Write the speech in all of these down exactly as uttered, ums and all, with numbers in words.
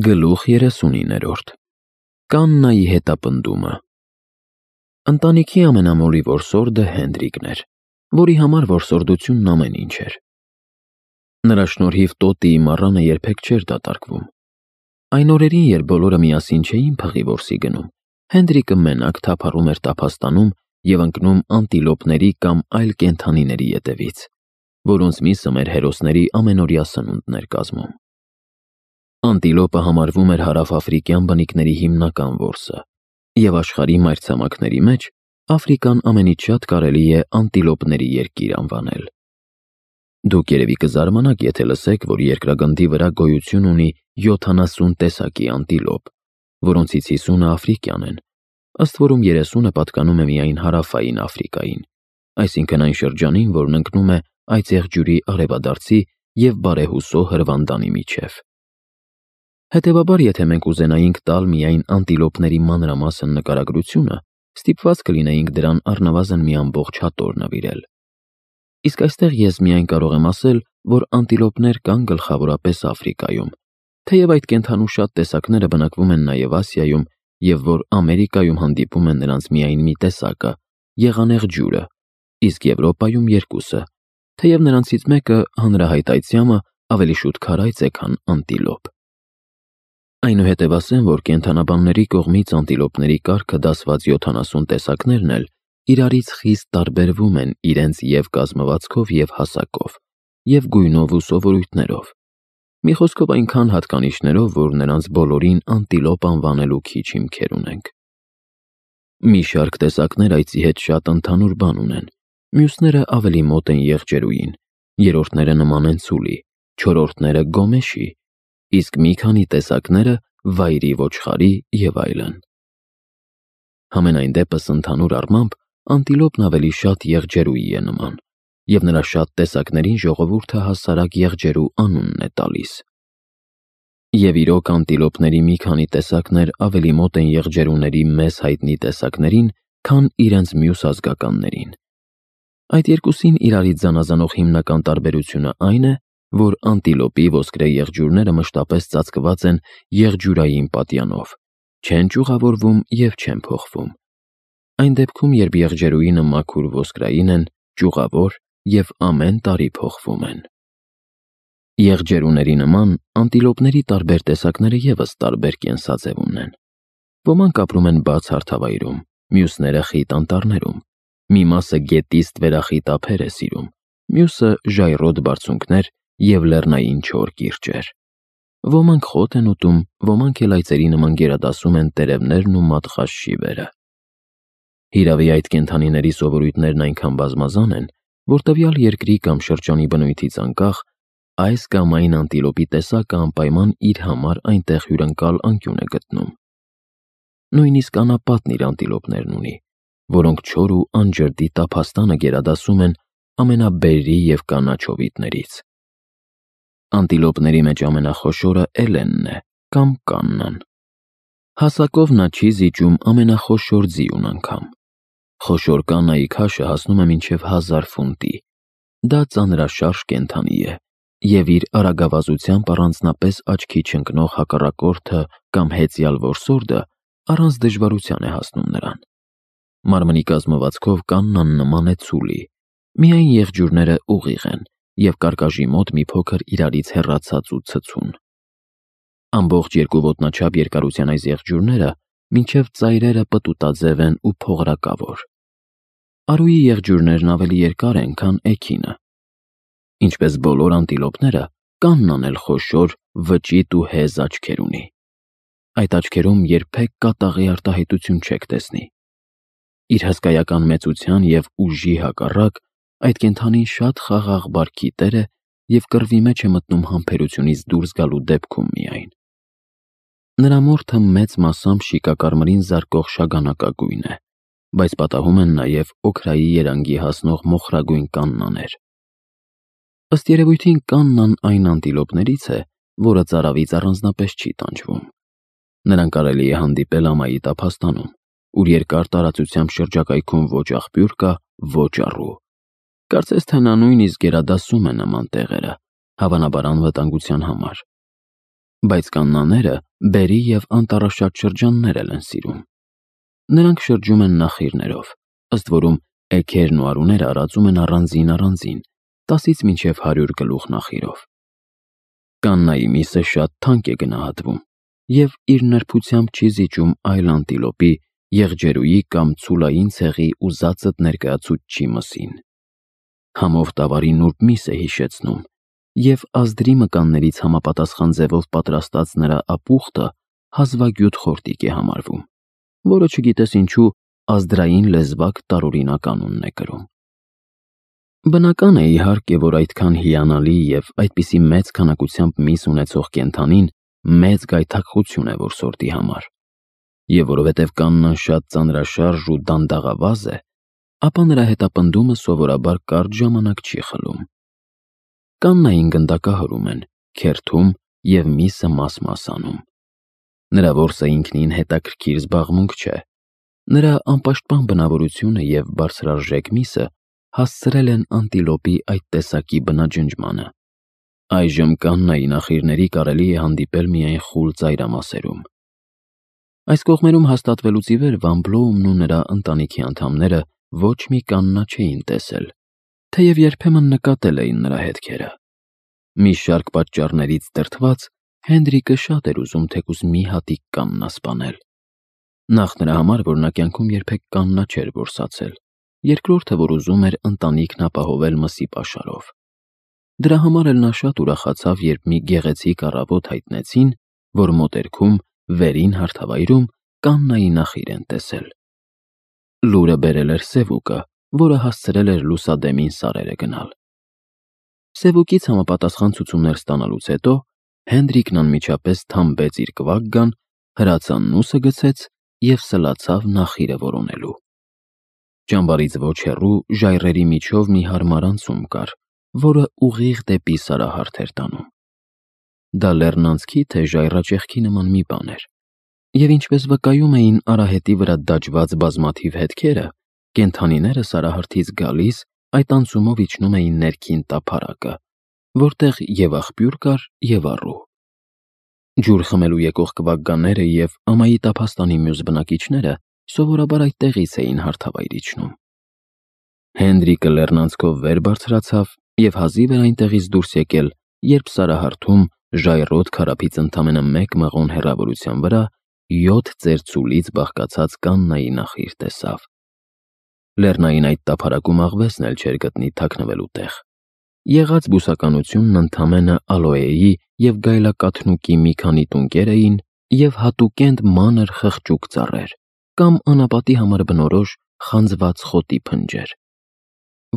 Գլուխ երեսունիններորդ Կաննայի հետապնդումը Ընտանիքի ամենամոլի որսորդը Հենրիկն էր, որի համար որսորդությունն ամեն ինչ էր։ Նրա շնորհիվ տոտիի մառանը երբեք չէր դատարկվում։ Այն օրերին, երբ բոլորը միասին չէին փղի որսի գնում, Հենրիկը մենակ թափառում էր տափաստանում և ընկնում անտիլոպների կամ այլ կենդանիների ետևից, որոնց միսը մեր հերոսների ամենօրյա սնունդն էր կազմում։ Անտիլոպը համարվում էր հարավաֆրիկյան բնիկների հիմնական որսը, և աշխարհի մայրցամաքների մեջ Աֆրիկան ամենից շատ կարելի է անտիլոպների երկիր անվանել։ Դուք երևի կզարմանաք, եթե լսեք, որ երկրագնդի վրա գոյություն ունի յոթանասուն տեսակի անտիլոպ, որոնցից հիսունը աֆրիկյան են, ըստ որում երեսունը պատկանում է միայն հարավային Աֆրիկային, այսինքն այն շրջանին, որն ընկնում է այծեղջյուրի արևադարձի և բարեհուսո հրվանդանի միջև։ Հետևաբար, եթե մենք ուզենայինք տալ միայն անտիլոպների մանրամասն նկարագրությունը, ստիպված կլինեինք դրան առնվազն մի ամբողջ հատոր նվիրել։ Իսկ այստեղ ես միայն կարող եմ ասել, որ անտիլոպներ կան գլխավորապես Աֆրիկայում, թեև այդ կենդանու շատ տեսակները բնակվում են նաև Ասիայում, և որ Ամերիկայում հանդիպում է նրանց միայն մի տեսակը՝ եղանեղջյուրը, իսկ Եվրոպայում երկուսը, թեև նրանցից մեկը՝ հանրահայտ այծյամը, ավելի շուտ քարայծ է, քան անտիլոպ։ Այնուհետև ասեմ, որ կենդանաբանների կողմից անտիլոպների կարգը դասված յոթանասուն տեսակներն էլ իրարից խիստ տարբերվում են իրենց և կազմվածքով, և հասակով, և գույնով ու սովորույթներով, մի խոսքով այնքան հատկանիշներով, որ նրանց բոլորին անտիլոպ անվանելու քիչ հիմքեր ունենք։ Մի շարք տեսակներ այծի հետ շատ ընդհանուր բան ունեն, մյուսները ավելի մոտ են եղջերուին, երրորդները նման են ցուլի, չորրորդները գոմեշի, իսկ մի քանի տեսակները վայրի ոչխարի և այլն։ Համենայն դեպս, ընդհանուր առմամբ, անտիլոպն ավելի շատ եղջերուի է նման, և նրա շատ տեսակներին ժողովուրդը հասարակ եղջերու անունն է տալիս։ Եվ իրոք անտիլոպների մի քանի տեսակներ ավելի մոտ են եղջերուների մեզ հայտնի տեսակներին, քան իրենց մյուս ազգականներին։ Այդ երկուսին իրարից զանազանող հիմնական տարբերությունը այն է, որ անտիլոպի ոսկրե եղջյուրները մշտապես ծածկված են եղջյուրային պատյանով, չեն ճյուղավորվում և չեն փոխվում։ Այն դեպքում, երբ եղջերուինը մաքուր ոսկրային են, ճյուղավոր և ամեն տարի փոխվում են։ Եղջերուների նման, անտիլոպների տարբեր տեսակները ևս տարբեր կենսաձև ունեն։ Ոմանք ապրում են բաց հարթավայրում, մյուսները խիտ անտառներում, մի մասը գետիստ վերախիտ ափեր է սիրում, մյուսը ժայռոտ բարձունքներ և լեռնային չոր կիրճեր։ Ոմանք խոտ են ուտում, ոմանք էլ այծերի նման գերադասում են տերևներն ու մատղաշ շիվերը։ Հիրավի, այդ կենդանիների սովորույթներն այնքան բազմազան են, որ տվյալ երկրի կամ շրջանի բնույթից անկախ, այս կամ այն անտիլոպի տեսակը անպայման իր համար այնտեղ հյուրընկալ անկյուն է գտնում։ Նույնիսկ անապատն իր անտիլոպներն ունի, որոնք չոր ու անջրդի տափաստանը գերադասում են ամենաբերրի և կանաչ հովիտներից։ Անտիլոպների մեջ ամենախոշորը էլենն է կամ կաննան։ Հասակով նա չի զիջում ամենախոշոր ձիուն անգամ։ Խոշոր կաննայի քաշը հասնում է մինչև հազար ֆունտի։ Դա ծանրաշարժ կենդանի է, և իր արագավազությամբ առանձնապես աչքի չընկնող հակառակորդը կամ հեծյալ որսորդը առանց դժվարության է հասնում նրան։ Մարմնի կազմվածքով կաննան նման է ցուլի, միայն եղջյուրները ուղիղ են և կարկաժի մոտ մի փոքր իրարից հեռացած ու ցցուն։ Ամբողջ երկու ոտնաչափ երկարության այս եղջյուրները մինչև ծայրերը պտուտաձև են ու փողրակավոր։ Արուի եղջյուրներն ավելի երկար են, քան էգինը։ Ինչպես բոլոր անտիլոպները, կաննան էլ խոշոր, վճիտ ու հեզ աչքեր ունի։ Այդ աչքերում երբեք կատաղի արտահայտություն չեք տեսնի։ Իր հսկայական մեծության և ուժի հակառակ, այդ կենդանին շատ խաղաղ բարքի տեր է և կռվի մեջ է մտնում համբերությունից դուրս գալու դեպքում միայն։ Նրա մորթը մեծ մասամբ շիկակարմրին զարկող շագանակագույն է, բայց պատահում են նաև օքրայի երանգի հասնող մոխրագույն կաննաներ։ Ըստ երևույթին կաննան այն անտիլոպներից է, որը ծարավից առանձնապես չի տանջվում։ Նրան կարելի է հանդիպել ամայի տափաստանում, ուր երկար տարածությամբ շրջակայքում ոչ աղբյուր կա, ոչ առու։ Կարծես թե նա նույնիսկ գերադասում է նման տեղերը, հավանաբար անվտանգության համար։ Բայց կաննաները բերի և անտառաշատ շրջաններ են սիրում։ Նրանք շրջում են նախիրներով, ըստ որում էգերն ու արուները արածում են առանձին-առանձին, տասից մինչև հարյուր գլուխ նախիրով։ Կաննայի միսը շատ թանկ է գնահատվում և իր նրբությամբ չի զիջում այլ անտիլոպի, եղջերուի կամ ցուլային ցեղի ուզածդ ներկայացուցչի մսին։ Համով տավարի նուրբ միս է հիշեցնում, և ազդրի մկաններից համապատասխան ձևով պատրաստած նրա ապուխտը հազվագյուտ խորտիկ է համարվում, որը չգիտես ինչու ազդրային լեզվակ տարօրինակ անունն է կրում։ Բնական է իհարկե, որ այդքան հիանալի և այդպիսի մեծ քանակությամբ միս ունեցող կենդանին մեծ գայթակղություն է որսորդի համար, և որովհետև կաննան շատ ծանրաշարժ ու դանդաղավազ է, ապա նրա հետապնդումը սովորաբար կարճ ժամանակ չի խլում։ Կաննային գնդակահարում են, քերթում և միսը մաս-մաս անում։ Նրա որսը ինքնին հետաքրքիր զբաղմունք չէ։ Նրա անպաշտպան բնավորությունը և բարձրարժեք միսը հասցրել են անտիլոպի այդ տեսակի բնաջնջմանը։ Այժմ կաննայի նախիրների կարելի է հանդիպել միայն խուլ ծայրամասերում։ Այս կողմերում հաստատվելուց ի վեր Վան Բլոումն ու նրա ընտանիքի անդամները ոչ մի կաննա չէին տեսել, թեև երբեմն նկատել էին նրա հետքերը։ Մի շարք պատճառներից դրդված Հենրիկը շատ էր ուզում թեկուզ մի հատիկ կաննա սպանել։ Նախ նրա համար, որ նա կյանքում երբեք կաննա չէր որսացել, երկրորդը, որ ուզում էր ընտանիքն ապահովել մսի պաշարով։ Դրա համար էլ նա շատ ուրախացավ, երբ մի գեղեցիկ առավոտ հայտնեցին, որ մոտերքում, վերին հարթավայրում կաննայի նախիր են տեսել։ Լուրը բերել էր Սևուկը, որը հասցրել էր լուսադեմին սարերը գնալ։ Սևուկից համապատասխան ցուցումներ ստանալուց հետո Հենրիկն անմիջապես թամբեց իր կվագգան, հրացաննուսը գցեց և սլացավ նախիրը որոնելու։ Ճամբարից ոչ հեռու ժայռերի միջով մի հարմար անցում կար, որը ուղիղ դեպի Սարահարթ էր տանում։ Դա լեռնանցքի թե ժայռաճեղքի նման մի բան էր, և ինչպես վկայում էին արահետի վրա դաջված բազմաթիվ հետքերը, կենդանիները Սարահարթից գալիս այդ անցումով իջնում էին ներքին տափարակը, որտեղ և աղբյուր կար, և առու։ Ջուր խմելու եկող կվագգաները և ամայի տափաստանի մյուս բնակիչները սովորաբար այդտեղից էին հարթավայր իջնում։ Հենրիկը լեռնանցքով վեր բարձրացավ և հազիվ էր այնտեղից դուրս եկել, երբ Սարահարթում ժայռոտ քարափից ընդամենը մեկ մղոն հեռավորության վրա յոթ ծեր ցուլից բաղկացած կաննայի նախիր տեսավ։ Լեռնային այդ տափարակում աղվեսն էլ չէր գտնի թաքնվելու տեղ։ Եղած բուսականությունն ընդամենը ալոեի և գայլակաթնուկի մի քանի տունկեր էին և հատուկենտ մանր խղճուկ ծառեր կամ անապատի համար բնորոշ խանձված խոտի փնջեր։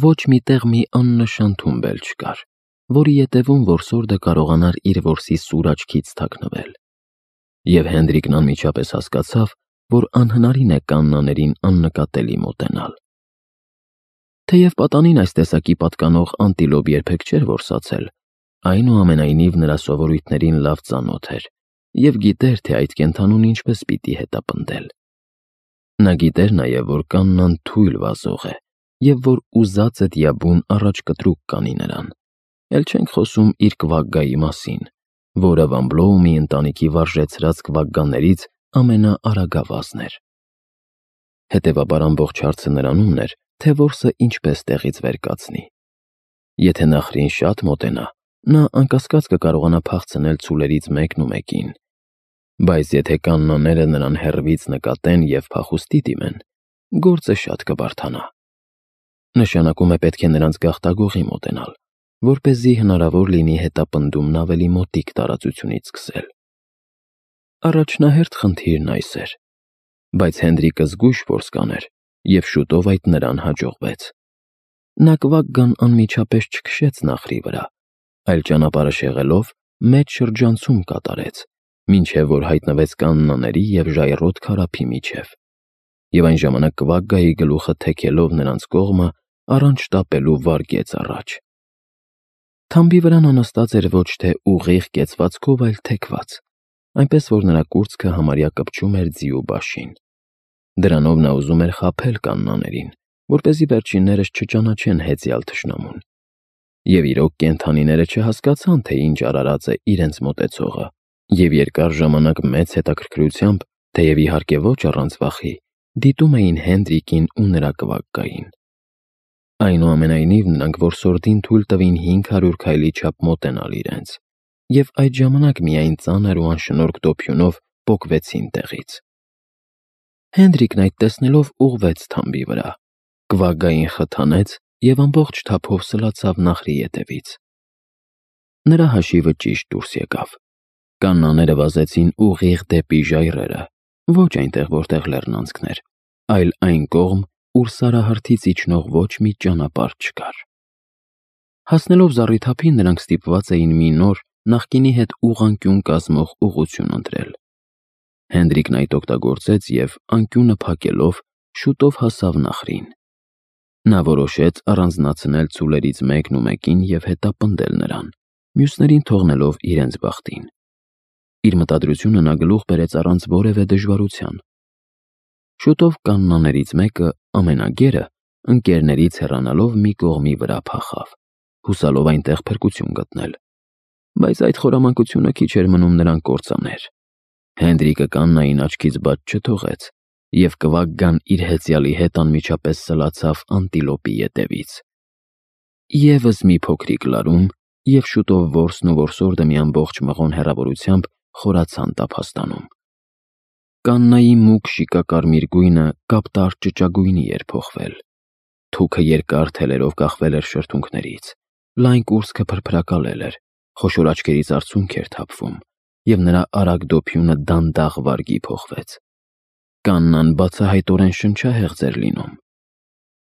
Ոչ մի տեղ մի աննշան թումբ էլ չկար, որի ետևում որսորդը կարողանար իր որսի սուր աչքից թաքնվել։ Եվ Հենրիկն անմիջապես հասկացավ, որ անհնարին է կաննաներին աննկատելի մոտենալ։ Թեև պատանին այս տեսակի պատկանող անտիլոպ երբեք չէր որսացել, այնուամենայնիվ նրա սովորույթներին լավ ծանոթ էր և գիտեր, թե այդ կենդանուն ինչպես պիտի հետապնդել։ Նա գիտեր նաև, որ կաննան թույլ վազող է և որ ուզածդ յաբուն առաջ կտրուկ կանի նրան, էլ չենք խոսում իր կվագգայի մասին, որը Վան Բլոումի ընտանիքի վարժեցրած կվագգաներից ամենաարագավազն էր։ Հետևաբար ամբողջ հարցը նրանումն էր, թե որսը ինչպես տեղից վեր կացնի։ Եթե նախրին շատ մոտենա, նա անկասկած կկարողանա փախցնել ցուլերից մեկն ու մեկին, բայց եթե կաննաները նրան հեռվից նկատեն և փախուստի դիմեն, գործը շատ կբարդանա։ Նշանակում է պետք է նրանց գաղտագողի մոտենալ, որպեսզի հնարավոր լինի հետապնդումն ավելի մոտիկ տարածությունից սկսել։ Առաջնահերթ խնդիրն այս էր, բայց Հենրիկը զգույշ որս կաներ, և շուտով այդ նրան հաջողվեց։ Նա կվագգան անմիջապես չքշեց նախրի վրա, այլ ճանապարհը շեղելով մեծ շրջանցում կատարեց, մինչև որ հայտնվեց կաննաների և ժայռոտ քարափի միջև, և այն ժամանակ կվագգայի գլուխը թեքելով նրանց կողմը առանց շտապելու վարգեց առաջ։ Թամբի վրա նա նստած էր ոչ թե ուղիղ կեցվածքով, այլ թեքված, այնպես որ նրա կուրծքը համարյա կպչում էր ձիու բաշին։ Դրանով նա ուզում էր խաբել կաննաներին, որպեսզի վերջիններս չճանաչեն հեծյալ թշնամուն։ Եվ իրոք կենդանիները չհասկացան, թե ինչ արարած է իրենց մոտեցողը, Եվ երկար ժամանակ մեծ հետաքրքրությամբ, թեև իհարկե ոչ առանց վախի, դիտում էին Հենդրիկին ու նրա կվակկային։ Այնուամենայնիվ նրանք որսորդին թույլ տվին հինգ հարյուր քայլի չափ մոտենալ իրենց, և այդ ժամանակ միայն ծանր ու անշնորհք դոփյունով պոկվեցին տեղից։ Հենդրիկն այդ տեսնելով ուղղվեց թամբի վրա, կվակկային խթանեց և ամբողջ թափով սլացավ նահրի ետևից։ Նրա հաշիվը ճիշտ դուրս եկավ։ Կաննաները վազեցին ուղիղ դեպի ժայռերը, ոչ այնտեղ, որտեղ լեռնանցքն էր, այլ այն կողմ, ուր սարահարթից իջնող ոչ մի ճանապարհ չկար։ Հասնելով զառիթափին, նրանք ստիպված էին մի նոր, նախկինի հետ ուղղանկյուն կազմող ուղղություն ընտրել։ Հենդրիկն այդ օգտագործեց և, անկյունը փակելով, շուտով հասավ նահրին։ Նա որոշեց առանձնացնել ցուլերից մեկն ու մեկին և հետապնդել նրան, մյուսներին թողնելով իրենց բախտին։ Իր մտադրությունը նա գլուխ բերեց առանց որևէ դժվարության։ Շուտով կաննաներից մեկը, ամենագերը, ընկերներից հեռանալով մի կողմի վրա փախավ, հուսալով այնտեղ փրկություն գտնել։ Բայց այդ խորամանկությունը քիչ էր մնում նրան կործաներ։ Հենդրիկը կաննային աչքից բաց չթողեց, և կվակկան իր հեծյալի հետ անմիջապես սլացավ անտիլոպի ետևից։ Եվս մի փոքրիկ լարում, և շուտով որսն ու որսորդը մի ամբողջ մղոն հեռավորությամբ խորացան տափաստանում։ Կաննայի մուգ շիկակարմիր գույնը կապտար ճճագույնի էր փոխվել։ Թուքը երկար թելերով կախվել էր շրթունքներից, լայն կուրծքը փրփրակալել էր, խոշոր աչքերից արցունք էր թափվում, և նրա արագ դոփյունը դանդաղ վարգի փոխվեց։ Կաննան բացահայտորեն շնչահեղձ էր լինում։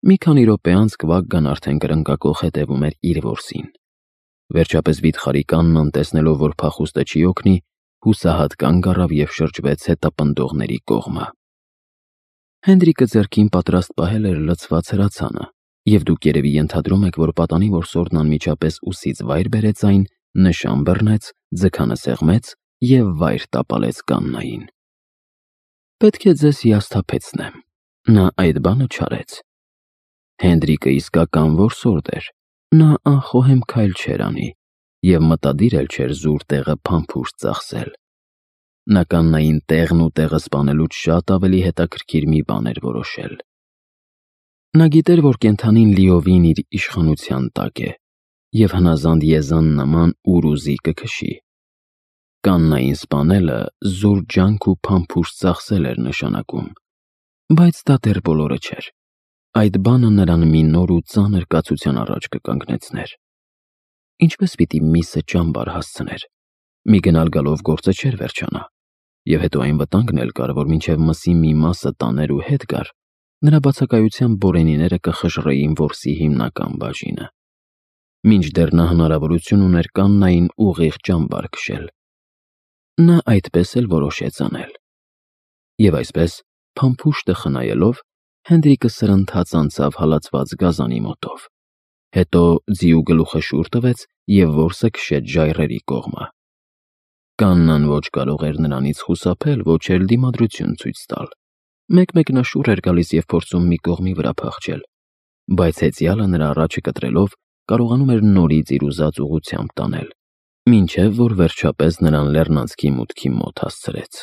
Մի քանի րոպե անց կվակկան արդեն կրնկակոխ հետևում էր իր որսին։ Վերջապես վիթխարի Կաննան, տեսնելով, որ փախուստը չի օգնի, հուսահատ կանգ առավ և շրջվեց հետապնդողների կողմը։ Հենդրիկը ձեռքին պատրաստ պահել էր լցված հրացանը, և դուք երևի ենթադրում եք, որ պատանի որսորդն անմիջապես ուսից վայր բերեց այն, նշան բռնեց, ձգանը սեղմեց և վայր տապալեց Կաննային։ Պետք է ձեզ հիասթափեցնեմ, նա այդ բանը չարեց։ Հենդրիկը իսկական որսորդ էր, նա անխոհեմ քայլ չէր անի և մտադիր էլ չէր զուր տեղը փամփուշտ ծախսել։ Նա Կաննային տեղն ու տեղը սպանելուց շատ ավելի հետաքրքիր մի բան էր որոշել։ Նա գիտեր, որ կենդանին լիովին իր իշխանության տակ է և հնազանդ եզան նման ուր ուզի կքշի։ Կաննային սպանելը զուր ջանք ու փամփուշտ ծախսել էր նշանակում, բայց դա դեռ բոլորը չէր։ Այդ բանը նրան մի նոր ու ծանր կացության առաջ կկանգնեցներ։ Ինչպես պիտի միսը ճամբար հասցներ։ Մի գնալ-գալով գործը չէր վերջանա, և հետո այն վտանգն էլ կար, որ մինչև մսի մի մասը տաներ ու հետ գար, նրա բացակայությամբ բորենիները կխժռեին որսի հիմնական բաժինը։ Մինչդեռ նա հնարավորություն ուներ Կաննային ուղիղ ճամբար քշել։ Նա այդպես էլ որոշեց անել։ Եվ այսպես, փամփուշտը խնայելով, Հենդրիկը սրընթաց անցավ հալածված գազանի մոտով, հետո ձիու գլուխը շուռ տվեց և որսը քշեց ժայռերի կողմը։ Կաննան ոչ կարող էր նրանից խուսափել, ոչ էլ դիմադրություն ցույց տալ։ Մեկ-մեկ նա շուռ էր գալիս և փորձում մի կողմի վրա փախչել, բայց հեծյալը նրա առաջը կտրելով կարողանում էր նորից իր ուզած ուղղությամբ տանել, մինչև որ վերջապես նրան լեռնանցքի մուտքի մոտ հասցրեց։